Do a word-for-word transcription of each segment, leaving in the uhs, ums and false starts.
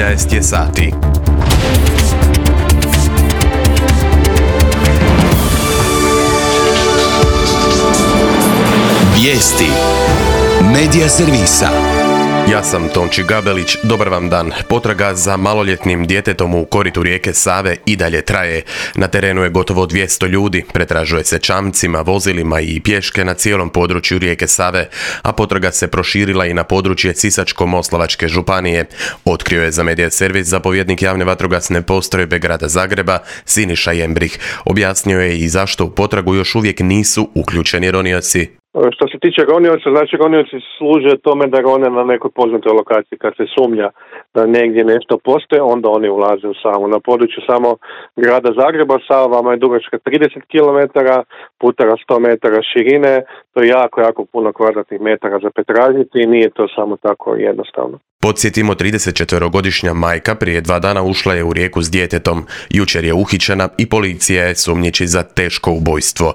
trinaest je sati. Vijesti Medija servisa. Ja sam Tonči Gabelić, dobar vam dan. Potraga za maloljetnim djetetom u koritu rijeke Save i dalje traje. Na terenu je gotovo dvjesto ljudi, pretražuje se čamcima, vozilima i pješke na cijelom području rijeke Save, a potraga se proširila i na područje Sisačko-moslavačke županije. Otkrio je za Medija servis zapovjednik javne vatrogasne postrojbe grada Zagreba, Siniša Jembrih. Objasnio je i zašto u potragu još uvijek nisu uključeni ronioci. Što se tiče ronioca, znači ronioci služe tome da rone na nekoj poznatoj lokaciji. Kad se sumnja da negdje nešto postoje, onda oni ulaze u Savu. Na području samo grada Zagreba Sava vama je dugačka trideset kilometara, putara sto metara širine, to je jako, jako puno kvadratnih metara za pretražiti i nije to samo tako jednostavno. Podsjetimo, tridesetčetverogodišnja majka prije dva dana ušla je u rijeku s djetetom. Jučer je uhićena i policija je sumnjiči za teško ubojstvo.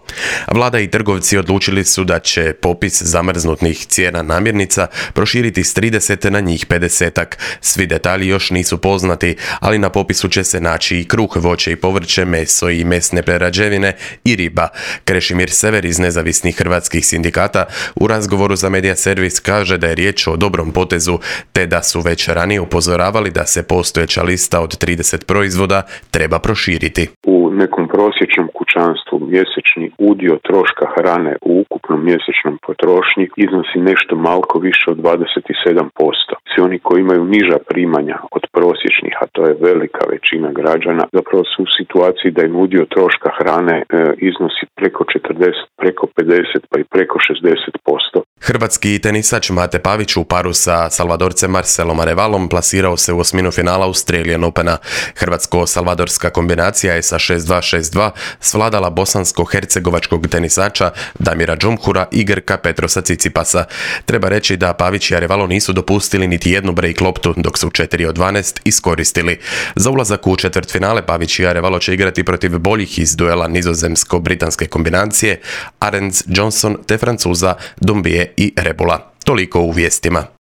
Vlada i trgovci odlučili su da će popis zamrznutih cijena namirnica proširiti s trideset na njih pedesetak. Svi detalji još nisu poznati, ali na popisu će se naći i kruh, voće i povrće, meso i mesne prerađevine i riba. Krešimir Sever iz Nezavisnih hrvatskih sindikata u razgovoru za Medija servis kaže da je riječ o dobrom potezu, te da su već ranije upozoravali da se postojeća lista od trideset proizvoda treba proširiti. U nekom prosječnom kućanstvu mjesečni udio troška hrane u ukupnom mjesečnom potrošnji iznosi nešto malko više od dvadeset sedam posto. Svi oni koji imaju niža primanja od prosječnih, a to je velika većina građana, zapravo su u situaciji da im udio troška hrane e, iznosi preko četrdeset, preko pedeset pa i preko šezdeset posto. Hrvatski tenisač Mate Pavić u paru sa Salvadorcem Marcelom Arevalom plasirao se u osminu finala Australian Opena. Hrvatsko-salvadorska kombinacija je sa šest dva šest dva svladala bosansko-hercegovačkog tenisača Damira Džumhura i Grka Petrosa Cicipasa. Treba reći da Pavić i Arevalo nisu dopustili niti jednu break loptu, dok su četiri od dvanaest iskoristili. Za ulazak u četvrtfinale Pavić i Arevalo će igrati protiv boljih iz duela nizozemsko-britanske kombinacije Arends Johnson te Francuza Dumbie i Rebula. Toliko u vijestima.